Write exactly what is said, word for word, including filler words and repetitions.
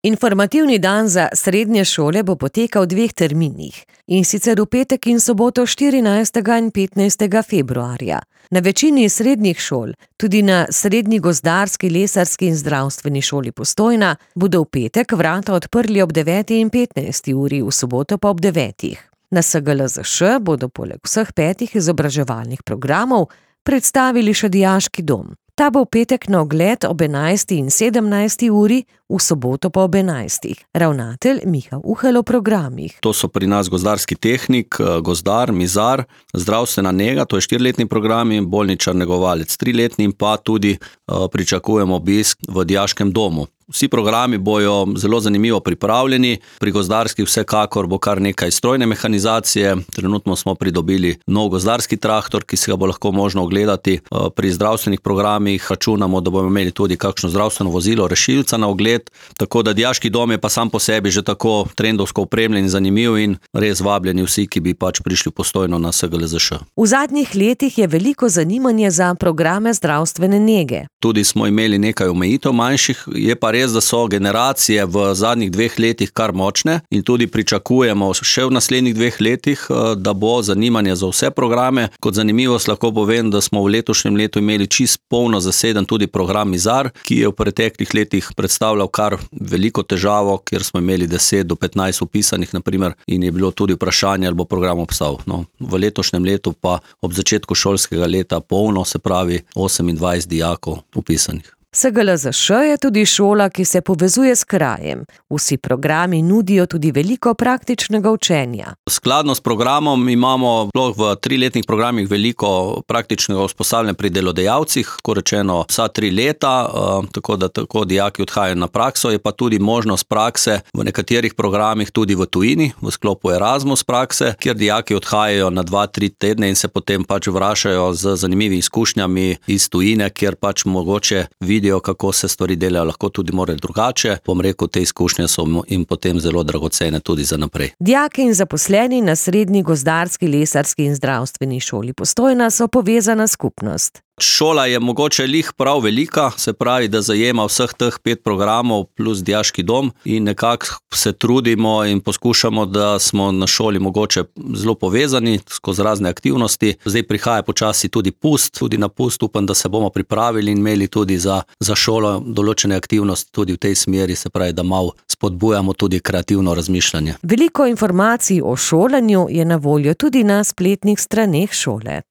Informativni dan za srednje šole bo potekal v dveh terminih, in sicer v petek in soboto štirinajstega in petnajstega februarja. Na večini srednjih šol, tudi na Srednji gozdarski, lesarski in zdravstveni šoli Postojna, bodo v petek vrata odprli ob deveti in petnajsti uri, v soboto pa ob devetih. Na S G L Z Š bodo poleg vseh petih izobraževalnih programov predstavili še dijaški dom. Ta bo v petek na ogled ob enajsti in sedemnajsti uri, v soboto pa ob enajstih. Ravnatelj Miha Uhelj o programih. To so pri nas gozdarski tehnik, gozdar, mizar, zdravstvena nega, to je štiriletni program, in bolničar negovalec triletni, in pa tudi uh, pričakujemo obisk v dijaškem domu. Vsi programi bojo zelo zanimivo pripravljeni, pri gozdarskih vsekakor bo kar nekaj strojne mehanizacije, trenutno smo pridobili nov gozdarski traktor, ki se ga bo lahko možno ogledati. Pri zdravstvenih programih računamo, da bomo imeli tudi kakšno zdravstveno vozilo, rešilca na ogled, tako da dijaški dom je pa sam po sebi že tako trendovsko opremljen in zanimiv in res vabljeni vsi, ki bi pač prišli Postojno na S G L Z Š. V zadnjih letih je veliko zanimanje za programe zdravstvene nege. Tudi smo imeli nekaj omejitev manjših, je pa res, da so generacije v zadnjih dveh letih kar močne in tudi pričakujemo še v naslednjih dveh letih, da bo zanimanje za vse programe. Kot zanimivost lahko povem, da smo v letošnjem letu imeli čist polno zaseden tudi program Mizar, ki je v preteklih letih predstavljal kar veliko težavo, kjer smo imeli deset do petnajst upisanih, naprimer, in je bilo tudi vprašanje, ali bo program obstal. No, v letošnjem letu pa ob začetku šolskega leta polno, se pravi osemindvajset dijakov upisanih. S G L Z Š je tudi šola, ki se povezuje s krajem. Vsi programi nudijo tudi veliko praktičnega učenja. Skladno s programom imamo v triletnih programih veliko praktičnega usposabljanja pri delodajalcih, ko rečeno vsa tri leta, tako da tako dijaki odhajajo na prakso, je pa tudi možnost prakse v nekaterih programih tudi v tujini, v sklopu Erasmus prakse, kjer dijaki odhajajo na dva, tri tedne in se potem pač vračajo z zanimivimi izkušnjami iz tujine, kjer pač mogoče vidijo, kako se stvari delajo, lahko tudi more drugače. Bom rekel, te izkušnje so jim potem zelo dragocene tudi za naprej. Dijaki in zaposleni na Srednji gozdarski, lesarski in zdravstveni šoli Postojna so povezana skupnost. Šola je mogoče lih prav velika, se pravi, da zajema vseh teh pet programov plus dijaški dom in nekako se trudimo in poskušamo, da smo na šoli mogoče zelo povezani skozi razne aktivnosti. Zdaj prihaja počasi tudi pust, tudi na pust upam, da se bomo pripravili in imeli tudi za, za šolo določene aktivnosti tudi v tej smeri, se pravi, da malo spodbujamo tudi kreativno razmišljanje. Veliko informacij o šolanju je na voljo tudi na spletnih straneh šole.